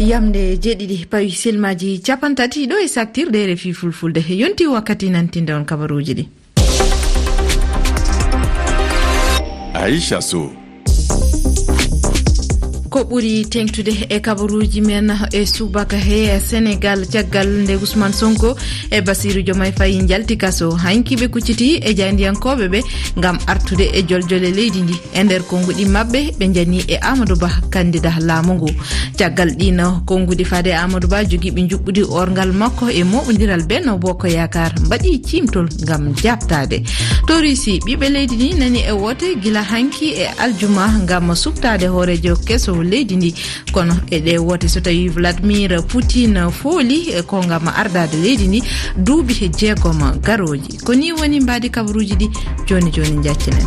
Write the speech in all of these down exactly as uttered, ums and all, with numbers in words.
Yamde jeeɗiɗi pawi silmaaji capanɗe tati ɗo e saktirde R F I Fulfulde. Yonti wakkati nantinde on kabaruuji ɗi. Aisha Sow. Ko ɓuri teŋtude e kabaruuji men e subaka he Senegal, caggal nde Ousmane Sonko e Bassirou Diomaye Faye njalti kaso, hanki ɓe kucciti e jaayndiyankooɓe ɓe ngam artude e joljole leydi ndi. E nder konnguɗi maɓɓe, ɓe njani e Amadou Ba, kandida laamu ngu. Caggal ɗiin konnguɗi, faade Amadou Ba, jogiiɓe njuɓɓudi orngal makko e moɓondiral Benno Bokk Yaakaar mbaɗi ciimtol ngam jaabtaade. To Russie, ɓiɓɓe leydi ndi nani e woote gila hanki e aljuma ngam suɓtaade hooreejo keso leydi ndi. Kono e ɗe woote, so tawi Vladimir Poutine fooli e ko ngam ardaade leydi ndi duuɓi jeegom garooji. Ko ni woni mbaadi kabaruuji ɗi jooni jooni njaccinen.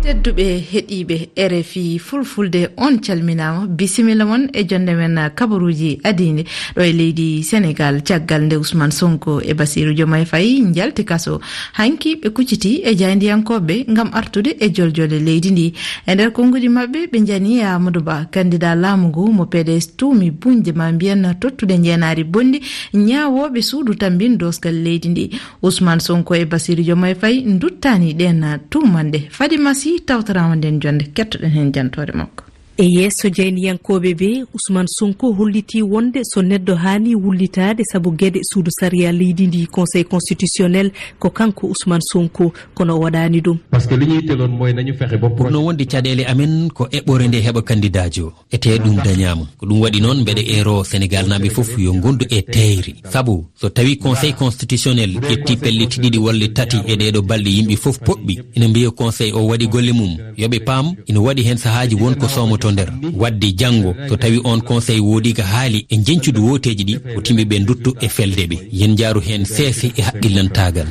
Tedduɓe heɗiiɓe R F I Fulfulde, on calminaama. Bisimilla mon e jonde men kabaruuji adiinde ɗo e leydi Senegal, caggal nde Ousmane Sonko e Bassirou Diomaye Faye njalti kaso. Hanki ɓe kucciti e jaayndiyankooɓe ngam artude e joljole leydi ndi. E nder konnguɗi maɓɓe, ɓe njani e Amadou Ba, kandida laamu ngu mo P D S tuumi buñde, ma mbiyen tottude njeenaari bonndi, ñaawooɓe suudu tammbin doosgal leydi ndi. Ousmane Sonko e Bassirou Diomaye Faye nduttaani ɗeen tuumanɗe. Fadima Sy tawtoraama nden jonde, kettoɗen heen jantoore makko. E yeeso jaayndiyankooɓe ɓe, Ousmane Sonko hollitii wonde so neɗɗo haani wullitaade sabu geɗe suudu sariya leydi ndi, Conseil constitutionnel, ko kanko Ousmane Sonko, kono o waɗaani ɗum. Parce que li ñu yitteloon mooy nañu fexe ba pro- Ɓurno wonde caɗeele amen ko eɓɓore nde heɓa kandidaajo. Etee ɗum dañaama. Ko ɗum waɗi noon mbeɗa eero Senegaalnaaɓe fof yo ngondu e teeyre. Sabu so tawi Conseil constitutionnel ƴetti pellet ɗiɗi walla tati e ɗeeɗo balɗe, yimɓe fof poɓɓi ina mbiya Conseil o waɗi golle mum. Yo ɓe paam, ina waɗi heen sahaaji won ko soomoto nder. Waɗde janngo, so tawi oon Conseil woodi ko haali e njeñcudu wooteeji ɗi, woto yimɓe ɓe nduttu e felde ɓe. Yen njaaru heen seese e haqqillantaagal.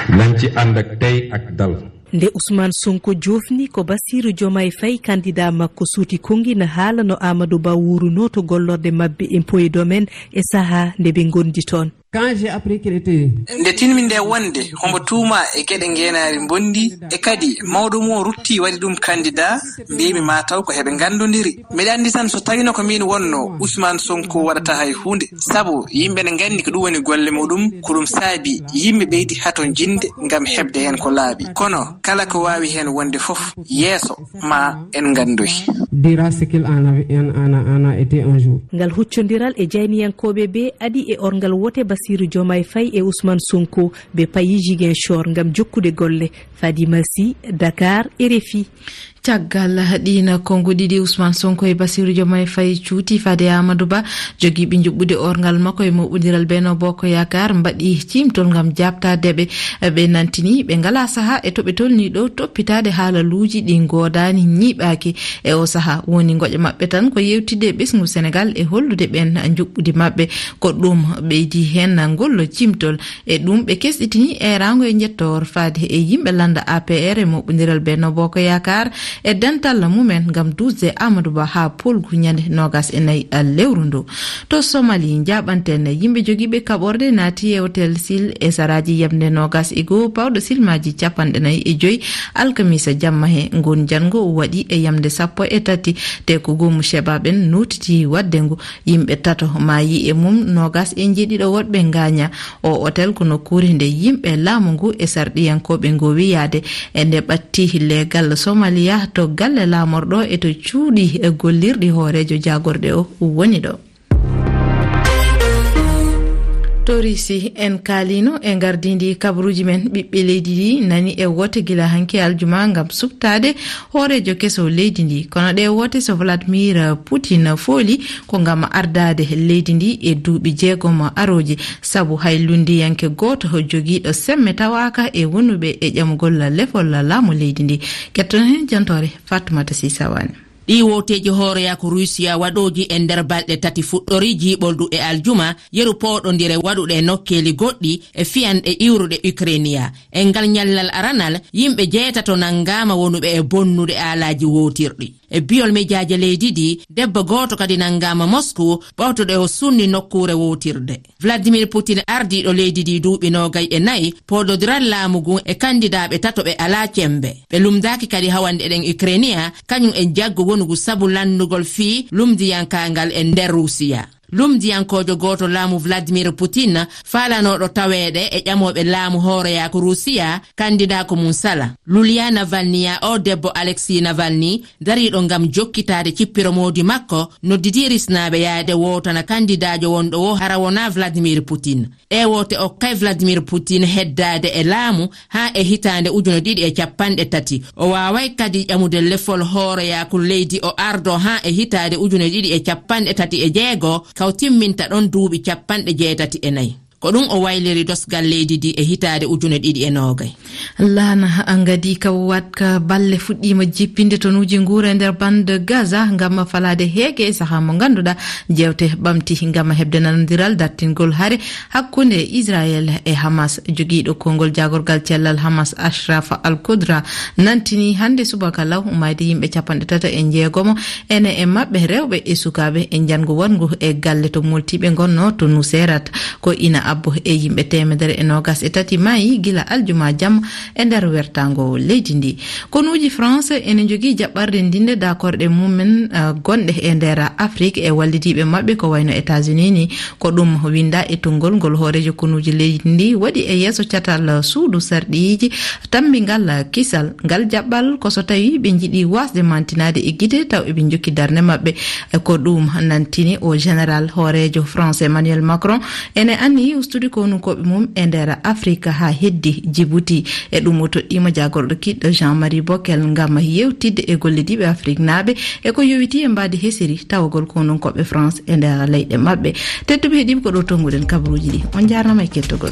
Nañ ci ànd ak tey ak dal. Nde Ousmane Sonko joofni ko Bassirou Diomaye Faye, kandida makko suuti konngi, na haala no Amadou Ba wuurunoo to gollorde maɓɓe impôt et domaine e sahaa nde ɓe ngondi toon. Quand j'ai appris qu'il était... Nde tinmi nde wonde hombo tuuma e geɗe ngeenaari mbondi, e kadi mawɗo mum o rutti waɗi ɗum kandida, mbiymi ma taw ko heɓe nganndondiri. Mbeɗa anndi tan so tawino ko min wonno, Ousmane Sonko waɗata hay huunde, sabu yimɓe ne nganndi ko ɗum woni golle muɗum, ko ɗum saabi yimɓe ɓeydi hato jinde ngam heɓde heen ko laaɓi. Kono kala ko waawi heen wonde fof, yeeso ma en nganndoy. Dira ce qu'il en a, en, en a, en a été un jour. Ngal huccondiral e jayniyankooɓe ɓe adi e orngal wote Bassirou Diomaye Faye e Ousmane Sonko, ɓe payi Ziguinchor ngam jokkude golle. Fadima Sy, Dakar, R F I. Caggal ɗiin konnguɗi ɗi, Ousmane Sonko e Bassirou Diomaye Faye cuuti faade Amadou Ba, jogiiɓe njuɓɓudi orngal makko e moɓondiral Benno Bokk Yaakaar mbaɗi ciimtol ngam jaabtaade ɓe. Ɓe nantini ɓe ngalaa sahaa e to ɓe tolnii ɗo toppitaade haalaluuji ɗi ngoodaani, ñiiɓaaki. E oo sahaa woni ngoƴa maɓɓe tan ko yeewtidde e ɓesngu Senegal e hollude ɓeen njuɓɓudi maɓɓe. Ko ɗum ɓeydi heen ngol ciimtol. E ɗum, ɓe kesɗitini eeraango e njettoor faade e yimɓe lannda A P R e moɓondiral Benno Bokk Yaakaar e dental mumen ngam duusde Amadou Ba haa polgu ñande noogas e nayi lewru ndu. To Somali, njaaɓanten yimɓe jogiiɓe kaɓorɗe naati e Hotel Sil e saraaji yamnde noogas e goo, pawɗo silmaaji capanɗe nayi e joy, alkamisa jamma he. Ngun janngo waɗi e yamnde sappo e tati, te ko goomu Shebaa ɓen nootiti waɗde ngu. Yimɓe tato maayi e mum, noogas e njeeɗiɗo woɗɓe ngaaña. O otel ko nokkuure nde yimɓe laamu ngu e sarɗiyankooɓe ngoowi yaade. E nde ɓatti leegal Somaliya to galle laamorɗo e to cuuɗi e gollirɗi hooreejo jaagorɗe o woni ɗo. To Risi, en kaalino e ngardiindi kabaruuji men. Ɓiɓɓe leydi ɗi nani e woote gila hanki aljuma ngam suɓtaade hooreejo keso leydi ndi. Kono ɗe woote, so Vladimir Poutine fooli, ko ngam ardaade leydi ndi e duuɓi jeegom arooji, sabu hay lunndiyanke gooto jogiiɗo semme tawaaka e wonuɓe e ƴamugol lefol laamu leydi ndi. Ketton heen jantoore Fatoumata Sy Sawane. Ɗii wooteeji hooreyaaku Ruusiya waɗooji e nder balɗe tati fuɗɗorii jiiɓoldu e aljuma, yeru pooɗondire waɗuɗe e nokkeeli goɗɗi e fiyanɗe iwruɗe Ukrainiya. E ngal ñallal aranal, yimɓe jeetato nanngaama wonuɓe e bonnude aalaaji wootirɗi. E biyol mejaaje leydi ndi, debbo gooto kadi nanngaama Moscou, ɓawto ɗo o sunni nokkuure wootirde. Vladimir Putin, ardiiɗo leydi ndi duuɓi noogay e nayi, poododiral laamu ngun e kandidaaɓe tato ɓe alaa cembe. Ɓe lumdaaki kadi hawande eɗen Ukrainia, kañum e jaggu wonugu sabu lanndugol fii lumdiyankaangal e nder Ruusiya. Lumdiyankoojo gooto laamu Vladimir Putin, faalanooɗo taweede e ƴamooɓe laamu hooreyaaku Ruusiya, kandidaa ko mum sala. Lulia Navalny, ya o debbo Alexei Navalny, dariiɗo ngam jokkitaade cippiro moodi makko, noddidii risnaaɓe yaade wootana kandidaajo wonɗo wo hara wonaa Vladimir Putin. E woote okkay Vladimir Putin heddaade e laamu haa e hitaande ujune ɗiɗi e capanɗe tati. O waaway kadi ƴamude lefol hooreyaaku leydi o ardo haa e hitaande ujune ɗiɗi e capanɗe tati e jeego, kaw timminta ɗon duuɓi capanɗe jeetati e nayi. Ko ɗum o wayliri dosgal leydi ndi e hitaande ujune ɗiɗi e noogay. Laana ngadi ka waɗka balle fuɗɗiima jippinde tonuuji nguura e nder bande Gaza ngam falaade heege e sahaa mo ngannduɗaa jeewte ɓamti ngam heɓde nanondiral dartingol hare hakkunde Israel e Hamas. Jogiiɗo konngol jaagorgal cellal Hamas, Ashraf Al-Qudra, nantini hannde subaka law umayde yimɓe capanɗe tati e jeegomo, ene e maɓɓe rewɓe e sukaaɓe, e njanngu waɗngu e galle to moltiiɓe ngonnoo to Nuseirat. Ko ina abbo e yimɓe teemedere e noogas e tati maayi gila aljuma jamma e nder wertaango leydi ndi. Konuuji France ene njogii jaɓɓarde ndinde daakorɗe mumen, eh, gonɗe e nder Afrik e wallidiiɓe maɓɓe ko wayno États-Unis ni. Ko ɗum winda e tonngol ngol hooreejo konuuji leydi ndi waɗi e yeeso catal suudu sarɗiiji tammbingal kisal. Ngal jaɓɓal ko so tawi ɓe njiɗi wasde mantinaade e gite taw eɓe njokki darnde maɓɓe. E ko ɗum nantini o général hooreejo France Emmanuel Macron ene anniyi ustude konunkooɓe mum e nder Afrique haa heddi Djibouti. E ɗum o toɗɗiima jaagorɗo kiɗɗo Jean-Marie Bockel ngam yewtidde e gollidiiɓe Afrique naaɓe e ko yowiti e mbaadi hesiri tawagol konunkooɓe France e nder leyɗe maɓɓe. Tedduɓe heɗiiɓe, ko ɗo tonnguɗen kabaruuji ɗi. On njaarnama e kettogol.